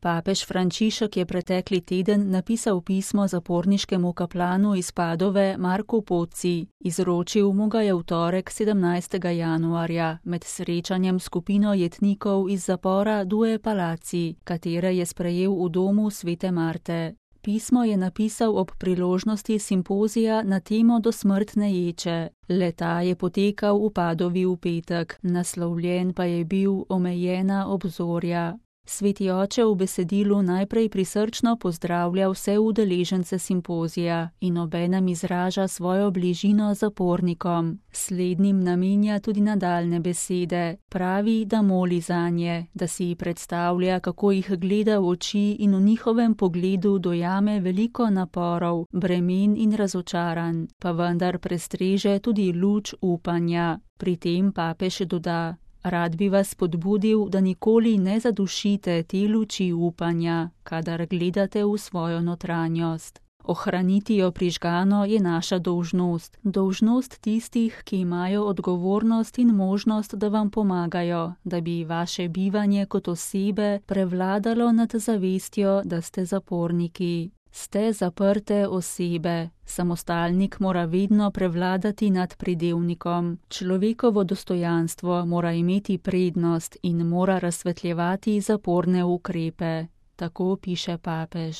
Papež Frančišek je pretekli teden napisal pismo zaporniškemu kaplanu iz Padove Marku Pozzi. Izročil mu ga je v torek 17. januarja med srečanjem skupino jetnikov iz zapora Due Palazzi, katere je sprejel v domu Svete Marte. Pismo je napisal ob priložnosti simpozija na temo dosmrtne ječe. Le-ta je potekal v Padovi v petek, naslovljen pa je bil Omejena obzorja. Sveti oče v besedilu najprej prisrčno pozdravlja vse udeležence simpozija in obenem izraža svojo bližino zapornikom. Slednjim namenja tudi nadaljne besede. Pravi, da moli zanje, da si predstavlja, kako jih gleda v oči in v njihovem pogledu dojame veliko naporov, bremen in razočaranj, pa vendar prestreže tudi luč upanja. Pri tem papež doda: Rad bi vas spodbudil, da nikoli ne zadušite te luči upanja, kadar gledate v svojo notranjost. Ohraniti jo prižgano je naša dolžnost. Dolžnost tistih, ki imajo odgovornost in možnost, da vam pomagajo, da bi vaše bivanje kot osebe prevladalo nad zavestjo, da ste zaporniki. Ste zaprte osebe. Samostalnik mora vedno prevladati nad pridevnikom. Človekovo dostojanstvo mora imeti prednost in mora razsvetljevati zaporne ukrepe. Tako piše papež.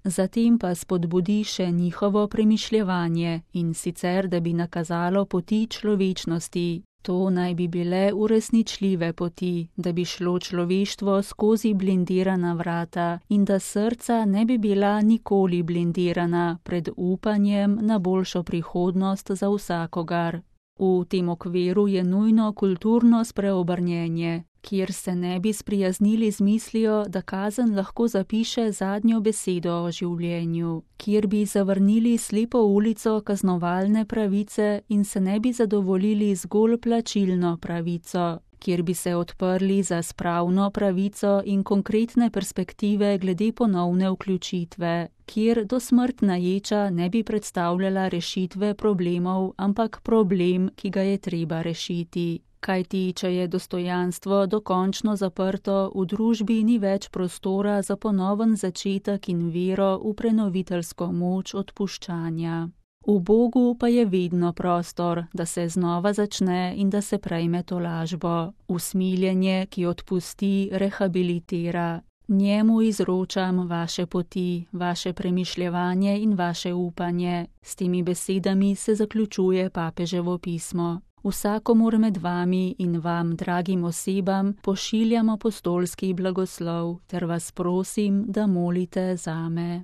Zatem pa spodbudi še njihovo premišljevanje, in sicer, da bi nakazalo poti človečnosti. To naj bi bile uresničljive poti, da bi šlo človeštvo skozi blindirana vrata in da srca ne bi bila nikoli blindirana pred upanjem na boljšo prihodnost za vsakogar. V tem okviru je nujno kulturno spreobrnjenje, kjer se ne bi sprijaznili z mislijo, da kazen lahko zapiše zadnjo besedo o življenju, kjer bi zavrnili slepo ulico kaznovalne pravice in se ne bi zadovoljili zgolj plačilno pravico, kjer bi se odprli za spravno pravico in konkretne perspektive glede ponovne vključitve, kjer dosmrtna ječa ne bi predstavljala rešitve problemov, ampak problem, ki ga je treba rešiti. Kajti, če je dostojanstvo dokončno zaprto, v družbi ni več prostora za ponoven začetek in vero v prenoviteljsko moč odpuščanja. V Bogu pa je vedno prostor, da se znova začne in da se prejme tolažbo. Usmiljenje, ki odpusti, rehabilitira. Njemu izročam vaše poti, vaše premišljevanje in vaše upanje. S temi besedami se zaključuje papeževo pismo. Vsakomur med vami in vam, dragim osebam, pošiljam apostolski blagoslov, ter vas prosim, da molite zame.